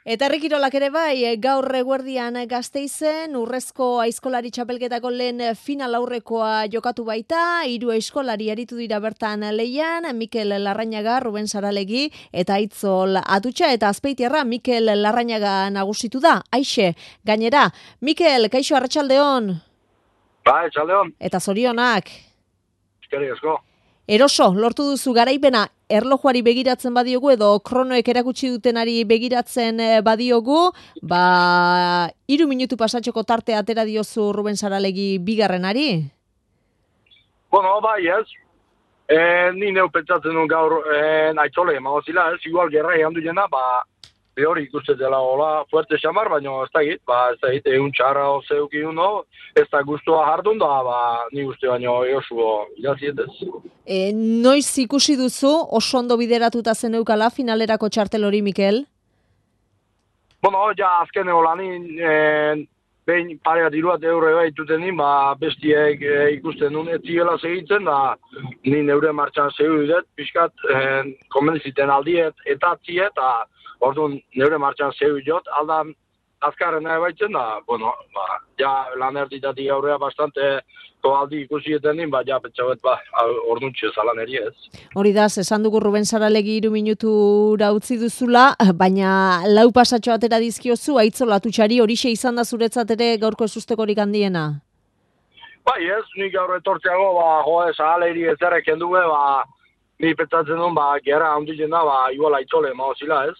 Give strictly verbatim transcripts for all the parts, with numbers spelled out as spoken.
Eta herrikirolak ere bai, gaur eguerdian Gasteizen, urrezko aizkolari txapelketako lehen final aurrekoa jokatu baita, hiru aizkolari aritu dira bertan lehian, Mikel Larrañaga, Ruben Saralegi eta Aitzol Atutxa, eta Azpeitiarra Mikel Larrañaga nagusitu da. Aixe, gainera, Mikel, kaixo arratsaldeon. Ba, arratsaldeon. Eta zorionak. Eskerrik asko. Eroso, lortu duzu garaipena, erlojuari begiratzen badiogu edo kronoek erakutsi dutenari begiratzen badiogu, ba, hiru minutu pasatxoko tarte atera diozu Ruben Saralegi bigarrenari? Bueno, bai ez. E, ni neu pentsatzen duen gaur e, Aitzole emagozila ez, igual gerra egan du jena, ba, behori ikustetela hola fuerte xamar, baina ez da egit, ba, ez da egit, egun txarra zeuki uno, ez da guztua jardun da, ba, ni uste baino eosuo irazietez. E, noiz ikusi duzu oso ondo bideratuta zen eukala finalerako txartel hori, Mikel? Bueno, ja azken eolanin, e, behin parea diruat eure baituten din, ba, bestiek e, ikusten duen etziela segitzen, da ni neure martxan zeu dut, pixkat, e, konbenziten aldiet, eta atziet, eta orduan neure martxan zeu jot, aldan azkarren nahi baitzen da, bueno, ba, ja lan erditatik aurrea bastante toaldi ikusieten din, ba, ja pentsauet, ba, orduan txezalan eri ez. Hori da, esan dugu Ruben Saralegi hiru minutura utzi duzula, baina lau pasatxo atera dizkiozu, Aitzol Atutxari, horixe izan da zuretzat ere gaurko ezustekorik handiena? Bai ez, nik gaur etortzeago, ba, joa, Saralegiri ezerrek kenduge, ba, ni pentsatzen duen, ba, gerra handitzen da, ba, igual Aitzole emagozila ez.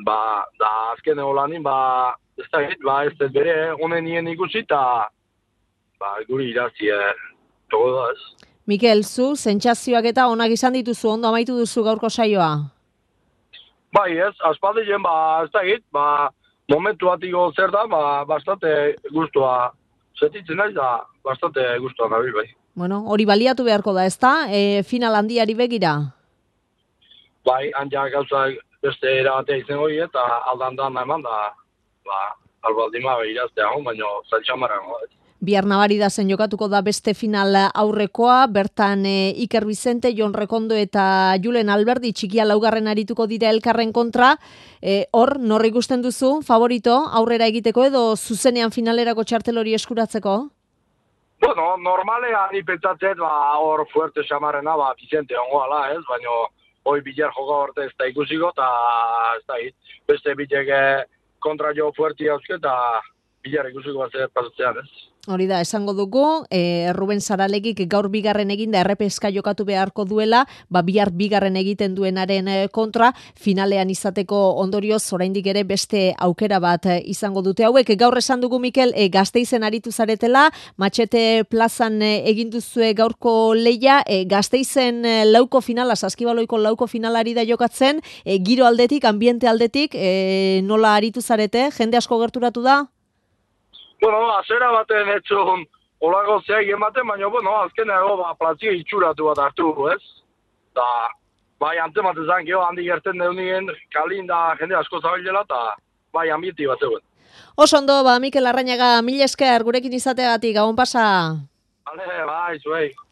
Ba, da azken egolanin, ba, ez da egit, ba, ez dut bere, honen nien ikusi, eta, ba, guri irazi, eh, togo da ez. Mikel, zu, sentsazioak eta onak izan dituzu, ondo amaitu duzu gaurko saioa? Bai ez, aspaldien, ba, ez da egit, ba, momentu batiko zer da, ba, bastante gustua setitzen naiz, da, bastante gustua nabil, bai. Bueno, hori baliatu beharko da, ezta? E, final handiari begira? Bai, handia gauza beste erabatea izan hori, eta aldan da eman da, ba, albaldima iraztea hon, baina zaitxamaran hon. Bihar nabari da zen jokatuko da beste final aurrekoa, bertan e, Iker Bizente, Jon Rekondo eta Julen Alberdi txikia laugarren arituko dira elkarren kontra. E, hor, norri ikusten duzu, favorito, aurrera egiteko edo zuzenean finalerako txartel hori eskuratzeko? Bueno, normalean ni pentsatzen, ba, hor fuerte xamarrena, ba, Bizente hongo ala ez, baina hoi bilar joka horte ez da ikusiko, eta ez da hit. Beste bitek kontra jo fuerti hauzke, eta bilar ikusiko bat zer pasatzean ez. Hori da, esango dugu, e, Ruben Saralegik gaur bigarren eginda errepeska jokatu beharko duela, ba bihar bigarren egiten duenaren kontra, finalean izateko ondorioz oraindik ere beste aukera bat izango dute hauek. Gaur esan dugu, Mikel, e, Gasteizen aritu zaretela, Matxete plazan e, egin duzue gaurko leia, e, Gasteizen e, lauko finala, saskibaloiko lauko finalari da jokatzen, e, giro aldetik, ambiente aldetik, e, nola aritu zarete, jende asko gerturatu da? Bueno, azera baten etxon olako zeak ematen, baina, bueno, azkeneago, ba, plazio itxuratu bat hartu, ez? Da, bai, antematen zan, geho, handi gerten deunien, kalin da jende asko zabilela, eta bai, ambienti bat zegoen. Oso ondo, ba, Mikel Larrañaga, mil esker gurekin izateagatik, gabon pasa. Bale, bai, zuei.